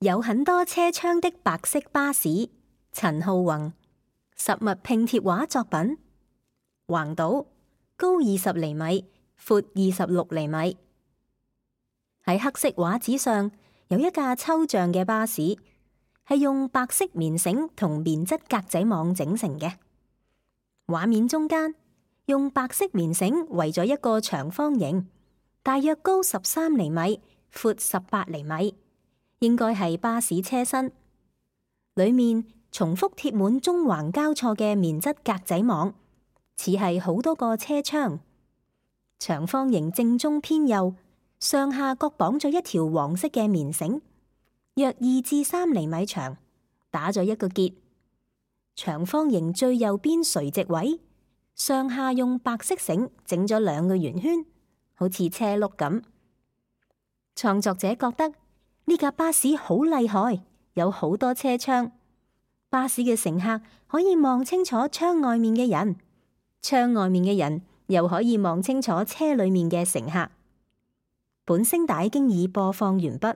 有很多車窗的白色巴士，陳浩宏。實物拼貼畫作品。橫島，高20厘米，闊26厘米。喺黑色畫紙上有一架抽象嘅巴士，係用白色棉繩同棉質格仔網整成嘅。畫面中間用白色棉繩圍咗一個長方形，大約高13厘米，闊18厘米，應該係巴士車身。裏面重複貼滿縱橫交錯嘅棉質格仔網，似係好多個車窗。長方形正中偏右，上下各綁咗一條黃色嘅棉繩，約2至3厘米長，打咗一個結。長方形最右邊垂直位，上下用白色繩整咗2個圓圈，好似車轆咁。創作者覺得呢架巴士好厲害，有好多車窗。巴士嘅乘客可以望清楚窗外面嘅人，窗外面嘅人又可以望清楚車裏面嘅乘客。本聲帶經已播放完畢。